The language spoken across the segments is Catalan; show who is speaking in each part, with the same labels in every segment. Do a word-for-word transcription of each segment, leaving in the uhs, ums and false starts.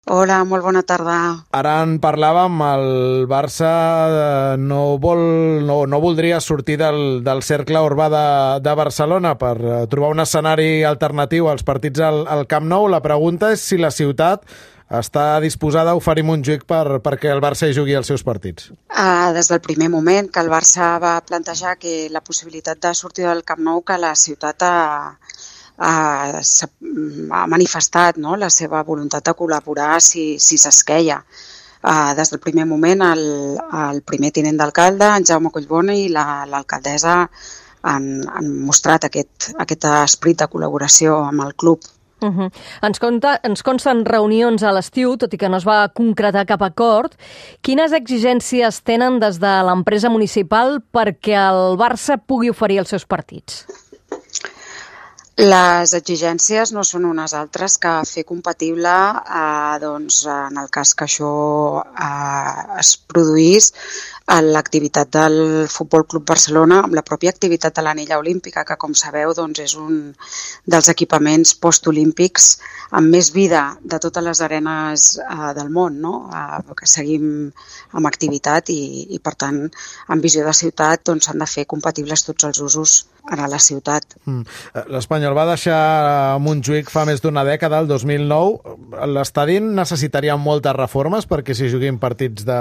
Speaker 1: Hola, molt bona tarda.
Speaker 2: Ara en parlàvem, el Barça eh, no, vol, no, no voldria sortir del, del cercle urbà de, de Barcelona per eh, trobar un escenari alternatiu als partits al, al Camp Nou. La pregunta és si la ciutat està disposada a oferir Montjuïc per, perquè el Barça hi jugui els seus partits.
Speaker 1: Uh, des del primer moment que el Barça va plantejar que la possibilitat de sortir del Camp Nou, que la ciutat ha, ha, ha manifestat, no?, la seva voluntat de col·laborar si, si s'esqueia. Uh, des del primer moment el, el primer tinent d'alcalde, en Jaume Collboni, i la, l'alcaldessa han, han mostrat aquest, aquest esperit de col·laboració amb el club.
Speaker 3: Uh-huh. Ens, conta, ens consten reunions a l'estiu, tot i que no es va concretar cap acord. Quines exigències tenen des de l'empresa municipal perquè el Barça pugui oferir els seus partits?
Speaker 1: Les exigències no són unes altres que fer compatible, eh, doncs, en el cas que això eh, es produís, l'activitat del Futbol Club Barcelona amb la pròpia activitat de l'anella olímpica, que, com sabeu, doncs, és un dels equipaments postolímpics amb més vida de totes les arenes eh, del món, no? Eh, que seguim amb activitat i, i per tant, en visió de ciutat, doncs, s'han de fer compatibles tots els usos a la ciutat.
Speaker 2: Mm. L'Espanyol va deixar Montjuïc fa més d'una dècada, el dos mil nou. L'estadi necessitaria moltes reformes perquè s'hi juguin partits de,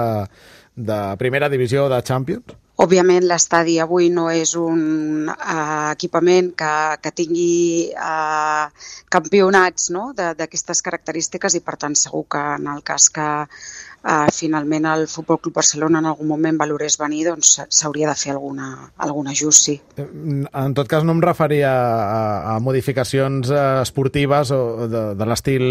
Speaker 2: de primera divisió o de Champions?
Speaker 1: Òbviament, l'estadi avui no és un uh, equipament que, que tingui uh, campionats, no?, d'aquestes característiques, i per tant segur que en el cas que uh, finalment el Futbol Club Barcelona en algun moment valorés venir, doncs s'hauria de fer alguna, algun ajust, sí.
Speaker 2: En tot cas no em referia a, a modificacions esportives o de, de l'estil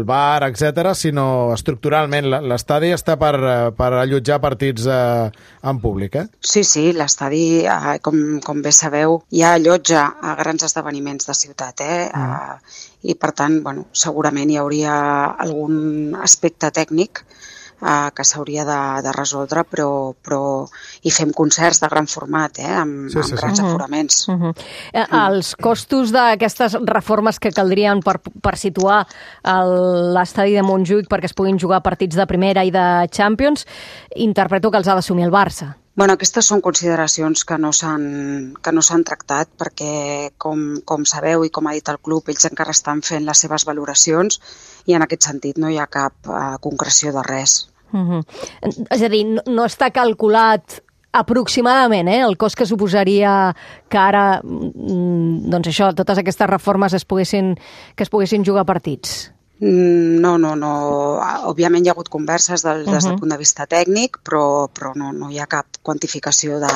Speaker 2: bar, etcètera, sinó estructuralment. L'estadi està per, per allotjar partits eh, en públic, eh?
Speaker 1: Sí, sí, l'estadi, eh, com, com bé sabeu, ja allotja a grans esdeveniments de ciutat, eh? Mm. Uh, I per tant, bueno, segurament hi hauria algun aspecte tècnic uh, que s'hauria de, de resoldre, però, però hi fem concerts de gran format, eh? amb, sí, sí, amb grans sí. aforaments.
Speaker 3: Uh -huh. Uh -huh. Els costos d'aquestes reformes que caldrien per, per situar l'estadi de Montjuïc perquè es puguin jugar partits de primera i de Champions, interpreto que els ha d'assumir el Barça.
Speaker 1: Bueno, aquestes són consideracions que no s'han que no s'han tractat perquè, com, com sabeu i com ha dit el club, ells encara estan fent les seves valoracions i en aquest sentit no hi ha cap uh, concreció de res.
Speaker 3: Uh-huh. És a dir, no, no està calculat aproximadament eh, el cost que suposaria que ara, doncs això, totes aquestes reformes es poguessin, que es poguessin jugar partits?
Speaker 1: No, no, no. Òbviament hi ha hagut converses del, uh-huh. des del punt de vista tècnic, però, però no, no hi ha cap quantificació de,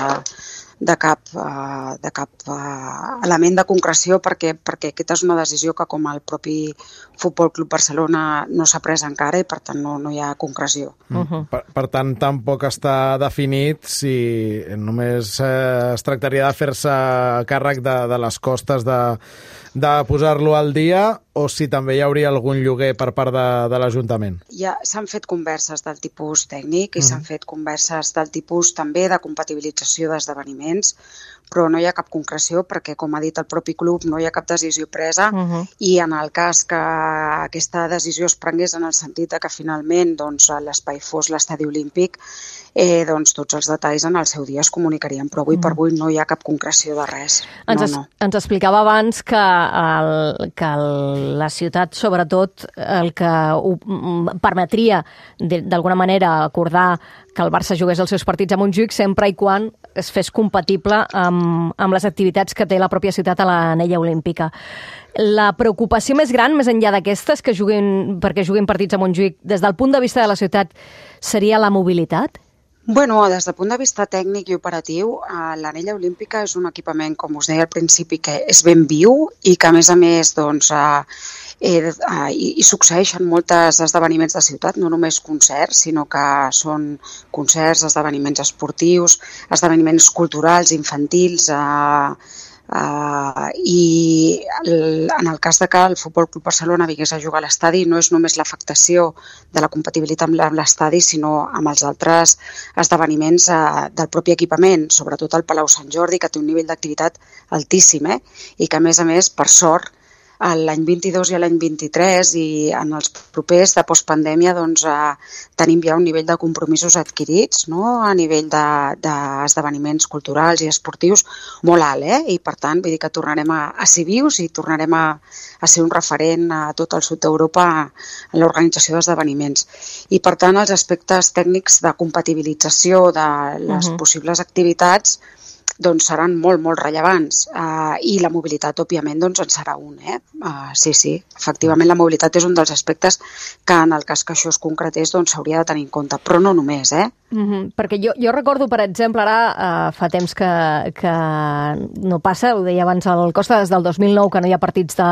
Speaker 1: de cap, uh, de cap uh, element de concreció perquè, perquè aquesta és una decisió que com el propi Futbol Club Barcelona no s'ha pres encara i per tant no, no hi ha concreció.
Speaker 2: Uh-huh. per, per tant, tampoc està definit si només eh, es tractaria de fer-se càrrec de, de les costes de, de posar-lo al dia o si també hi hauria algun lloguer per part de, de l'Ajuntament.
Speaker 1: Ja s'han fet converses del tipus tècnic i uh-huh. s'han fet converses del tipus també de compatibilització d'esdeveniments, però no hi ha cap concreció perquè, com ha dit el propi club, no hi ha cap decisió presa uh-huh. i en el cas que aquesta decisió es prengués en el sentit que finalment doncs, l'espai fos l'estadi olímpic, eh, doncs tots els detalls en el seu dia es comunicarien, però avui uh-huh. per avui no hi ha cap concreció de res.
Speaker 3: Ens,
Speaker 1: no,
Speaker 3: es,
Speaker 1: no.
Speaker 3: ens explicava abans que, el, que el, la ciutat, sobretot, el que ho permetria d'alguna manera acordar que el Barça jugués els seus partits a Montjuïc sempre i quan es fes compatible amb, amb les activitats que té la pròpia ciutat a l'anella olímpica. La preocupació més gran, més enllà d'aquestes, que juguin, perquè juguin partits a Montjuïc, des del punt de vista de la ciutat, seria la mobilitat?
Speaker 1: Bueno, des del punt de vista tècnic i operatiu, l'anella olímpica és un equipament, com us deia al principi, que és ben viu i que, a més a més, doncs, eh, eh, hi, hi succeeixen molts esdeveniments de ciutat, no només concerts, sinó que són concerts, esdeveniments esportius, esdeveniments culturals, infantils, eh, Uh, i el, en el cas de que el Futbol Club Barcelona vingués a jugar a l'estadi no és només l'afectació de la compatibilitat amb l'estadi, sinó amb els altres esdeveniments uh, del propi equipament, sobretot el Palau Sant Jordi, que té un nivell d'activitat altíssim, eh? I que a més a més, per sort, l'any vint-i-dos i l'any vint-i-tres, i en els propers de postpandèmia doncs, eh, tenim ja un nivell de compromisos adquirits, no? A nivell d'esdeveniments de, culturals i esportius molt alt, eh? I per tant vull dir que tornarem a, a ser vius i tornarem a, a ser un referent a tot el sud d'Europa en l'organització d'esdeveniments. I per tant els aspectes tècnics de compatibilització de les uh-huh. possibles activitats doncs seran molt, molt rellevants. Uh, I la mobilitat, òbviament, doncs en serà un. Eh? Uh, sí, sí, efectivament la mobilitat és un dels aspectes que en el cas que això es concretés doncs s'hauria de tenir en compte, però no només, eh?
Speaker 3: Mm-hmm. Perquè jo, jo recordo, per exemple, ara uh, fa temps que, que no passa, ho deia abans el Costa, des del dos mil nou que no hi ha partits de,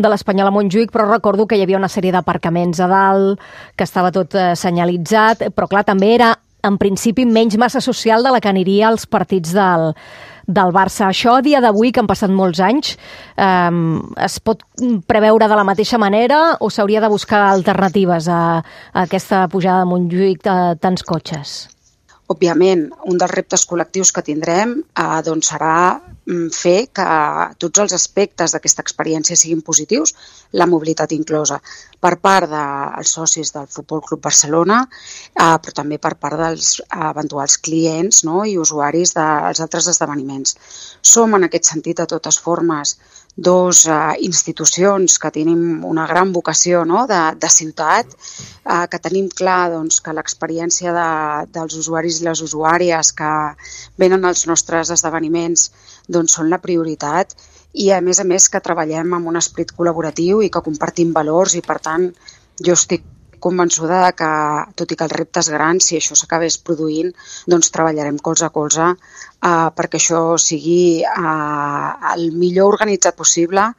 Speaker 3: de l'Espanyol a Montjuïc, però recordo que hi havia una sèrie d'aparcaments a dalt, que estava tot uh, senyalitzat, però clar, també era en principi menys massa social de la que aniria als partits del, del Barça. Això, a dia d'avui, que han passat molts anys, eh, es pot preveure de la mateixa manera o s'hauria de buscar alternatives a, a aquesta pujada de Montjuïc de tants cotxes?
Speaker 1: Òbviament, un dels reptes col·lectius que tindrem eh, doncs serà fer que tots els aspectes d'aquesta experiència siguin positius, la mobilitat inclosa, per part dels socis del Futbol Club Barcelona, eh, però també per part dels eventuals clients, no? I usuaris dels altres esdeveniments. Som, en aquest sentit, de totes formes, dos eh, institucions que tenim una gran vocació, no? de, de ciutat, eh, que tenim clar doncs, que l'experiència de, dels usuaris i les usuàries que venen als nostres esdeveniments doncs són la prioritat, i a més a més que treballem amb un esperit col·laboratiu i que compartim valors, i per tant jo estic convençuda que, tot i que el repte és gran, si això s'acabés produint, doncs treballarem colze a colze eh, perquè això sigui eh, el millor organitzat possible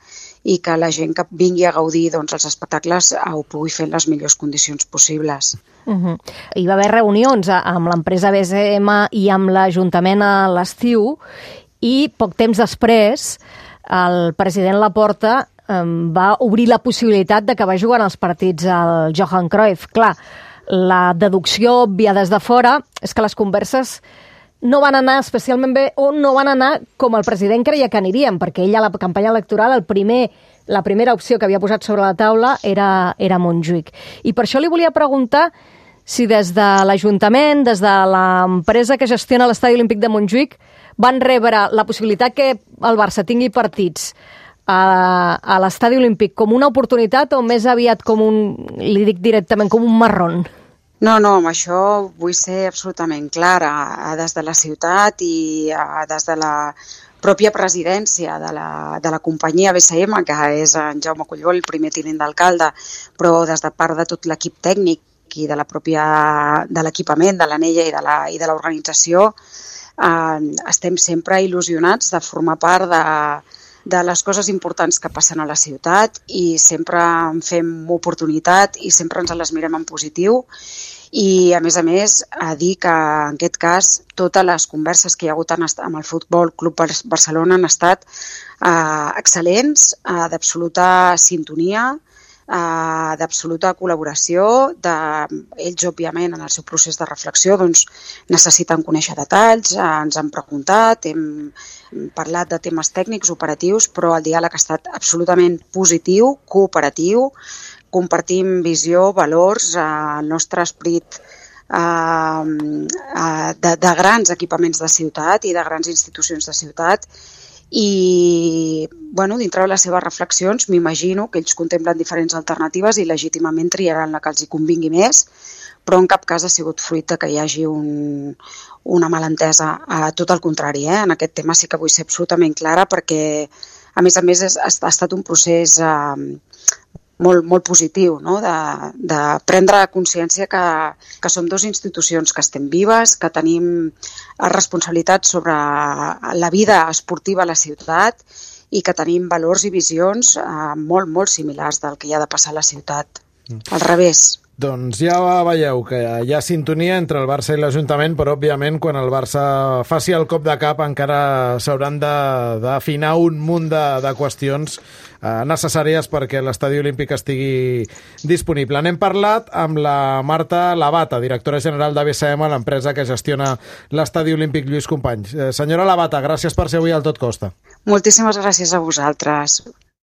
Speaker 1: i que la gent que vingui a gaudir doncs, els espectacles eh, ho pugui fer en les millors condicions possibles.
Speaker 3: Uh-huh. Hi va haver reunions amb l'empresa B S M i amb l'Ajuntament a l'estiu, i poc temps després el president Laporta um, va obrir la possibilitat de que va jugar els partits al Johan Cruyff. Clar, la deducció òbvia des de fora és que les converses no van anar especialment bé o no van anar com el president creia que anirien, perquè ell a la campanya electoral el primer, la primera opció que havia posat sobre la taula era, era Montjuïc. I per això li volia preguntar si des de l'Ajuntament, des de l'empresa que gestiona l'Estadi Olímpic de Montjuïc, van rebre la possibilitat que el Barça tingui partits a, a l'Estadi Olímpic com una oportunitat o més aviat com un, li dic directament, com un marrón?
Speaker 1: No, no, amb això vull ser absolutament clara. Des de la ciutat i des de la pròpia presidència de la, de la companyia B S M, que és en Jaume Collbó, el primer tinent d'alcalde, però des de part de tot l'equip tècnic i de la pròpia de l'equipament, de l'anella i de la, i de l'organització, eh, estem sempre il·lusionats de formar part de, de les coses importants que passen a la ciutat, i sempre en fem oportunitat i sempre ens les mirem en positiu. I, a més a més, a dir que, en aquest cas, totes les converses que hi ha hagut amb el Futbol Club Barcelona han estat eh, excel·lents, eh, d'absoluta sintonia, Uh, d'absoluta col·laboració. De, ells, òbviament, en el seu procés de reflexió doncs, necessiten conèixer detalls, uh, ens han preguntat, hem, hem parlat de temes tècnics, operatius, però el diàleg ha estat absolutament positiu, cooperatiu, compartim visió, valors, uh, el nostre esperit uh, uh, de, de grans equipaments de ciutat i de grans institucions de ciutat. I, bueno, dintre de les seves reflexions, m'imagino que ells contemplen diferents alternatives i legítimament triaran la que els hi convingui més, però en cap cas ha sigut fruit de que hi hagi un, una malentesa. A tot el contrari, eh? En aquest tema sí que vull ser absolutament clara, perquè, a més a més, ha estat un procés eh, molt, molt positiu, no? de, de prendre consciència que, que som dues institucions que estem vives, que tenim responsabilitats sobre la vida esportiva a la ciutat i que tenim valors i visions eh, molt, molt similars del que hi ha de passar a la ciutat. Al revés.
Speaker 2: Doncs ja veieu que hi ha sintonia entre el Barça i l'Ajuntament, però òbviament quan el Barça faci el cop de cap encara s'hauran d'afinar un munt de, de qüestions eh, necessàries perquè l'Estadi Olímpic estigui disponible. N'hem parlat amb la Marta Labata, directora general de B S M, l'empresa que gestiona l'Estadi Olímpic Lluís Companys. Eh, senyora Labata, gràcies per ser avui al Tot Costa.
Speaker 1: Moltíssimes gràcies a vosaltres.